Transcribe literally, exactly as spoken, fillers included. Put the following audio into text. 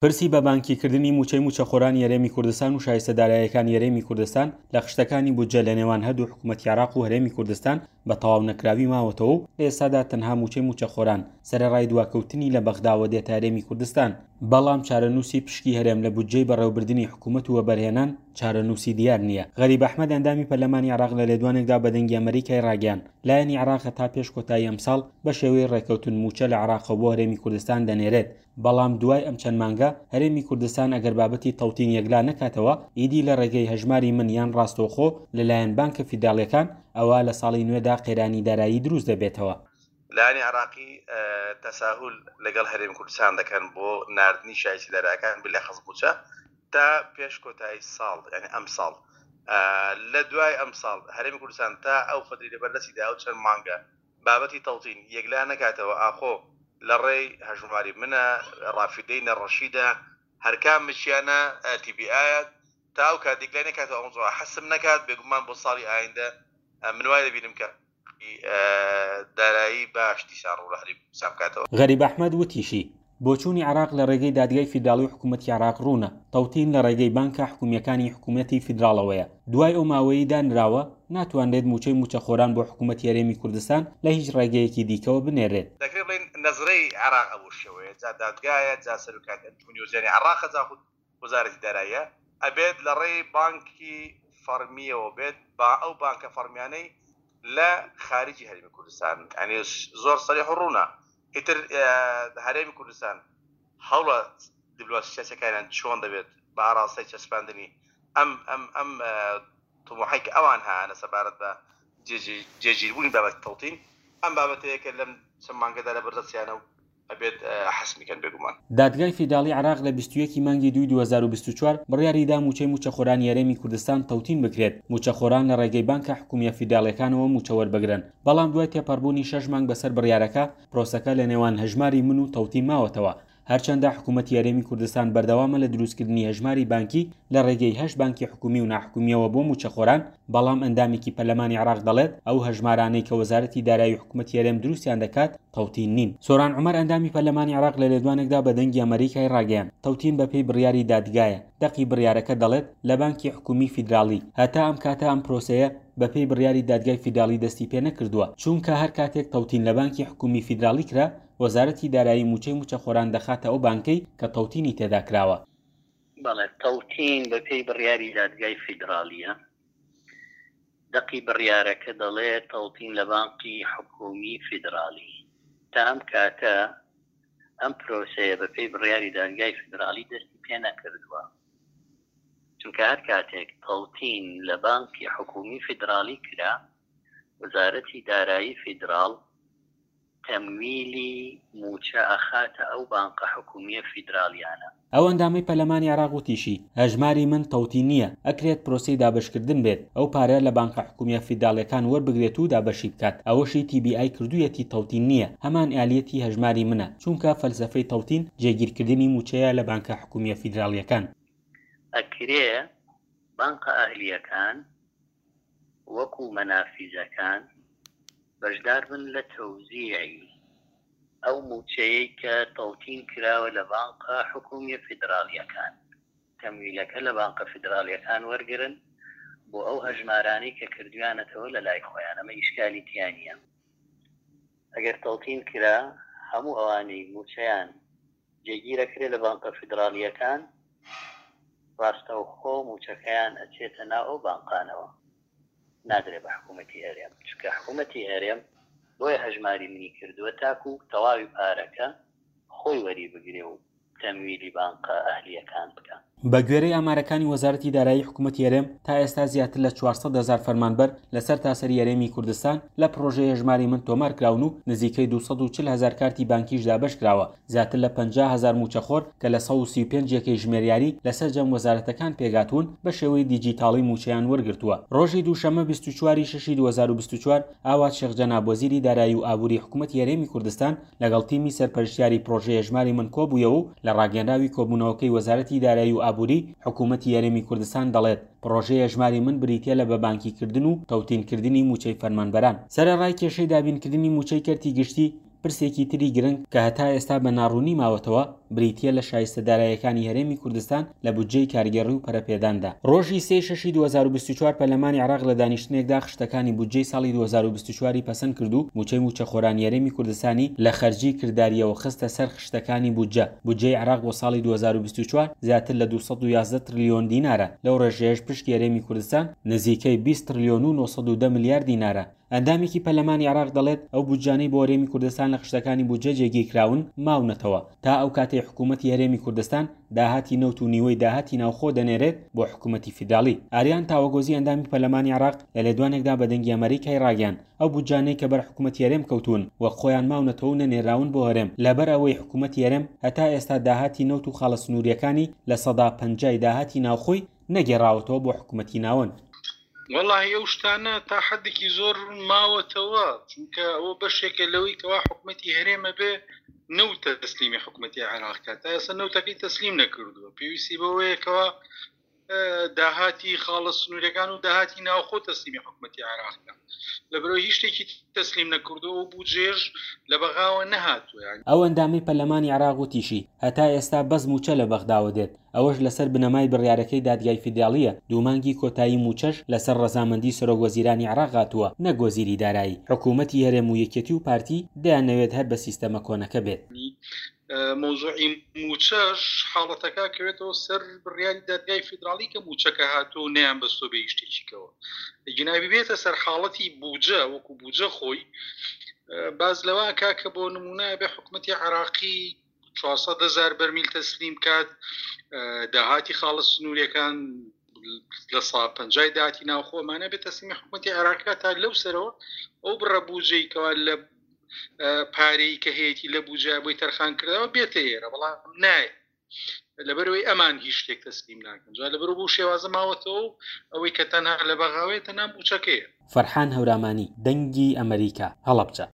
پرسی بە بانکیکردنی مووچەی مووچەخۆرانی هەرێمی کوردستان و شایستە داراییەکانی هەرێمی کوردستان لە خشتەکانی بودجە لە نێوان هەردوو حکوومەتی عێراق و هەرێمی کوردستان بە تەواو نەکراوی ماوەتەوە و لە ئێستادا تەنها مووچەی مووچەخۆران سەرەڕای دواکەوتنی لە بەغداوە دێتە هەرێمی کوردستان، بەڵام چارەنووسی پشکی هەرێم لە بودجەی بەڕێوەبردنی حکوومەت و وەبەرهێنان چارەنووسی دیار نییە. غەریب ئەحمەد ئەندامی پەرلەمانی عێراق لە لێدوانێکدا بە دەنگی ئەمریکای ڕاگەیاند، لایەنی عێراق تا پێش کۆتایی ئەمساڵ بە شێوەی ڕێکەوتن مووچە لە عێراقەوە بۆ هەرێمی کوردستان دەنێرێت، بەڵام دوای ئەم چەند مانگە هەرێمی کوردستان ئەگەر بابەتی تەوتین یەکلا نەکاتەوە ئیدی لە ڕێگەی هەژماری من یان ڕاستەوخۆ لەلایەن بانکە فیدراڵیەکان ئەوە لە ساڵی نوێدا قەیرانی دارایی دروست دەبێتەوە. لایەنی عێراقی تەساهول لەگەڵ هەرێمی کوردستان دەکەن بۆ ناردنی شایستە دارایەکان بلەخەز مووچە تا پێش کۆتایی ساڵ، یعنی ئەم ساڵ. لە دوای ئەم ساڵ هەرێمی کوردستان تا ئەو فەتری لەبەردەستیدا ئەو چەند مانگە بابەتی تەوتین یەکلا نەکاتەوە، ئاخۆ لە ڕێی هەژماری منە ڕافیدەینە ڕەشیدە هەرکام مچیانە تی بی ئایە تا ئەو کات یەکلای نەکاتەوە ئەو موضوع حەسم نەکات، بێگومان بۆ ساڵی ئایندە من وای دەبینم کە دارایی باش دیسان ڕوو لە هەرێمی کوردستان بکاتەوە. غەریب ئەحمەد وتیشی، بۆچوونی عێراق لە ڕێگەی دادگای فیدراڵی و حکوومەتی عێراق ڕوونە، تەوتین لە ڕێگەی بانکە حکوومیەکانی حکوومەتی فیدراڵەوەیە. دوای ئەو ماوەیەی دانراوە ناتوانرێت مووچەی مووچەخۆران بۆ حکوومەتی هەرێمی کوردستان لە هیچ ڕێگەیەکی دیکەوە بنێرێت. دەکرێت بڵێین نەزرەی عێراق ئەو شێوەیە، جا دادگایە، جا سەرۆکایەتی ئەنجومەنی وەزیرانی عێراقە، جا خود وەزارەتی داراییە، ئەبێت لە ڕێی بانکی فەرمیەوە بێت، با ئەو بانکە فەرمیانەی لە خارجی هەرێمی کوردستان، یعنی زۆر سەریح و ڕوونە. ئیتر هەرێمی کوردستان هەوڵە دیپلۆماسی سیاسەکانیان چۆن دەبێت بە ئاراستەی چەسپاندنی ئەم ئەم ئەم طموحەی کە ئەوان هەیانە سەبارەت بە جێگیربوونی بابەتی تەوتین، ئەم بابەتەیە کە لەم چەند مانگەدا لە بەردەستیانە و ئەبێت حەسمی کەن بێگومان. دادگای فیدراڵی عێراق لە بیست و یەک مانگی دووی دوو هەزار و بیست و چوار بڕیاری دا مووچەی مووچەخۆرانی هەرێمی کوردستان تەوتین بکرێت، مووچەخۆران لە ڕێگەی بانکە حکوومیە فیدراڵیەکانەوە مووچە وەربگرن، بەڵام دوای تێپەڕبوونی شەش مانگ بەسەر بڕیارەکە پرۆسەکە لە نێوان هەژماری من و تەوتین ماوەتەوە. هەرچەندە حکوومەتی هەرێمی کوردستان بەردەوامە لە دروستکردنی هەژماری بانکی لە ڕێگەی هەشت بانکی حکوومی و ناحکومیەوە بۆ مووچەخۆران، بەڵام ئەندامێکی پەرلەمانی عێراق دەڵێت ئەو هەژمارانەی کە وەزارەتی دارایی حکوومەتی هەرێم دروستیان دەکات تەوتین نین. سۆران عومەر ئەندامی پەرلەمانی عێراق لە لێدوانێکدا بە دەنگی ئەمریکای ڕاگەیاند، تەوتین بەپێی بڕیاری دادگایە، دەقی بڕیارەکە دەڵێت لە بانکی حکوومی فیدراڵی. هەتا ئەم کاتە ئەم پرۆسەیە بەپێی بڕیاری دادگای فیدراڵی دەستی پێ نەکردووە، چونکە هەر کاتێک تەوتین لە بانکی حکوومی فیدراڵی کرا وەزارەتی دارایی مووچەی مووچەخۆران دەخاتە ئەو بانکەی کە تەوتینی تێدا کراوە. بەڵێ، تەوتین بەپێی بڕیاری دادگای فیدراڵیە. دەقی بڕیارەکە دەڵێ تەوتین لە بانکی حکوومی فیدراڵی. تا ئەم کاتە ئەم پرۆسەیە بەپێی بڕیاری دادگای فیدراڵی دەستی پێ نەکردووە، چونکە هەر کاتێک تەوتین لە بانکی حکوومی فیدراڵی کرا وەزارەتی دارایی فیدراڵ تەمویلی مووچە ئەخاتە ئەو بانقە حکوومیە فیدراڵیانە. ئەو ئەندامەی پەرلەمانی عێراق وتیشی، هەژماری من تەوتین نییە، ئەکرێت پرۆسەی دابەشکردن بێت، ئەو پارە لە بانقە حکوومیە فیدراڵیەکان وەربگرێت و دابەشی بکات، ئەوەشی تی بی ئای کردوویەتی تەوتین نییە، هەمان ئالیەتی هەژماری منە، چونکە فەلسەفەی تەوتین جێگیرکردنی مووچەیە لە بانکە حکوومیە فیدراڵیەکان. ئەکرێ بانقە ئەهلیەکان وەکو مەنافیزەکان بەشدار بن لە تەوزیعی ئەو مووچەیەی کە تەوتین کراوە لە بانقە حکوومیە فیدراڵیەکان، تەمویلەکە لە بانقە فیدراڵیەکان وەرگرن بۆ ئەو هەژمارانەی کە کردویانەتەوە لە لای خۆیان، ئەمە ئیشکالی تیا نییە. ئەگەر تەوتین کرا هەموو ئەوانەی مووچەیان جێگیرەکرێ لە بانقە فیدراڵیەکان ڕاستەوخۆ مووچەکەیان ئەچێتە ناو ئەو بانقانەوە، نادرێ بە حکوومەتی هەرێم، چونکە حکوومەتی هەرێم بۆیە هەژماری منی کردووە تاکو تەواوی پارەکە خۆی وەری بگرێ و تەمویلی بانقە ئەهلیەکان بکە. بە گوێرەی ئامارەکانی وەزارەتی دارایی حکوومەتی هەرێم تا ئێستا زیاتر لە چوار سەد هەزار فەرمانبەر لەسەر تاسەری هەرێمی کوردستان لە پرۆژەی هەژماری من تۆمار کراون و نزیکەی دوو سەد و چل هەزار کارتی بانکیش دابەش کراوە، زیاتر لە پەنجا هەزار مووچەخۆر کە لە سەد و سی و پێنج یەکەی ژمێریاری لەسەر جەم وەزارەتەکان پێگاتوون بە شێوەی دیجیتاڵی مووچەیان وەرگرتووە. ڕۆژی دووشەممە بیست و چوار شەشی دوو هەزار و بیست و چوار ئاوات شێخ جەناب وەزیری دارایی و ئابووری حکوومەتی هەرێمی کوردستان لەگەڵ تیمی سەرپەرشتیاری پرۆژەی هەژماری من کۆبوویەوە و لە ڕاگەنراوی کۆبوونەوەکەی وەزارەتی دارایی و ئابووری حکوومەتی هەرێمی کوردستان دەڵێت پرۆژەی هەژماری من بریتیە لە بەبانکیکردن و تەوتینکردنی مووچەی فەرمانبەران. سەرەڕای کێشەی دابینکردنی مووچەی کەرتی گشتی پرسێکی تری گرنگ کە هەتا ئێستا بە ناڕوونی ماوەتەوە بریتییە لە شایستە داراییەکانی هەرێمی کوردستان لە بودجەی کارگێڕی و پەرەپێداندا. ڕۆژی سێ شەشی دوو هەزار و بیست و چوار پەرلەمانی عێراق لە دانیشتنێکدا خشتەکانی بودجەی ساڵی دوو هەزار و بیست و چوار ی پەسەند کرد و مووچەی مووچەخۆرانی هەرێمی کوردستانی لە خەرجی کردارییەوە خستە سەر خشتەکانی بودجە. بودجەی عێراق بۆ ساڵی دوو هەزار و بیست و چوار زیاتر لە دوو سەد و یازدە ترلیۆن دینارە، لەو ڕێژەیەش پشکی هەرێمی کوردستان نزیکەی بیست ترلیۆن و نۆ سەد و دە ملیار دینارە. ئەندامێکی پەرلەمانی عێراق دەڵێت ئەو بودجانەی بۆ هەرێمی کوردستان لە خشتەکانی بودجە جێگیرکراون ماونەتەوە تا ئەو کاتەی حکوومەتی هەرێمی کوردستان داهاتی نەوت و نیوەی داهاتی ناوخۆ دەنێرێت بۆ حکوومەتی فیدراڵی. ئاریان تاوەگۆزی ئەندامی پەرلەمانی عێراق لە لێدوانێکدا بە دەنگی ئەمریکای ڕاگەیاند ئەو بودجانەی کە بەر حکوومەتی هەرێم کەوتون و خۆیان ماونەتەوە و نەنێراون بۆ هەرێم، لەبەر ئەوەی حکوومەتی هەرێم هەتا ئێستا داهاتی نەوت و خاڵە سنووریەکانی لە سەدا پەنجای داهاتی ناوخۆی نەگێڕاوەتەوە بۆ حکوومەتی ناوەند. وەڵاهی ئەو شتانە تا حدێکی زۆر ماوەتەوە، چونکە ئەوە بەشێکە لەوەی کەوا حکوومەتی هەرێمە بێ نەوت تەسلیمی حکوومەتی عێراق کات. تا ئێستا نەوتەکەی تەسلیم نەکردووە، پێویستی بەوەیە کەوا داهاتی خاڵە سنوورەکان و داهاتی ناوخۆ تەسلیمی حکوومەتی عێراق کات. لەبەرەوە هیچ شتێکی تەسلیم نەکردووە و بودجێش لە بەغاوە نەهاتووە. ئەو ئەندامەی پەرلەمانی عێراق وتیشی هەتا ئێستا بەس مووچە لە بەغداوە دێت، ئەوەش لەسەر بنەمای بڕیارەکەی دادگای فیدراڵیە، دوو مانگی کۆتایی مووچەش لەسەر ڕەزامەندی سەرۆک وەزیرانی عێراق هاتووە نەک وەزیری دارایی. حکوومەتی هەرێم و یەکێتی و پارتی دەیانەوێت هەر بە سیستەمە کۆنەکە بێت. مەوزوعی مووچەش حاڵەتەکە کەوێتەوە سەر بڕیاری دادگای فیدراڵی کە مووچەکە هاتووە و نەیان بەستۆ بە هیچ شتێکیکەوە. گینابی بێتە سەر حاڵەتی بودجە وەکو بودجە خۆی باز لەوە کا کە بۆ نمونە بێ حکوومەتی عێراقی چوارسەد هەزار بەرمیل تەسلیم کات، داهاتی خاڵە سنووریەکان لە سا پەنجای داهاتی ناوخۆمانە بێت تەسلیمی حکوومەتی عێراقی کات تا لەو سەرەوە ئەو بڕە بودجەی کەوا لە پارەی کە هەیەی لە بودجە بۆی تەرخان کردەوە بێتە ئێرە، بەڵام نایە لەبەرەوەی ئەمان هیچ شتێک تەسلیم ناکەن. جا لەبەرەوە بۆ شێوازە ماوەتەوە و ئەوەی کە تەنها لە بەغاوەیە تەنها مووچەکەیە. فەرحان هەورامانی، دەنگی ئەمریکا، هەڵەبجە.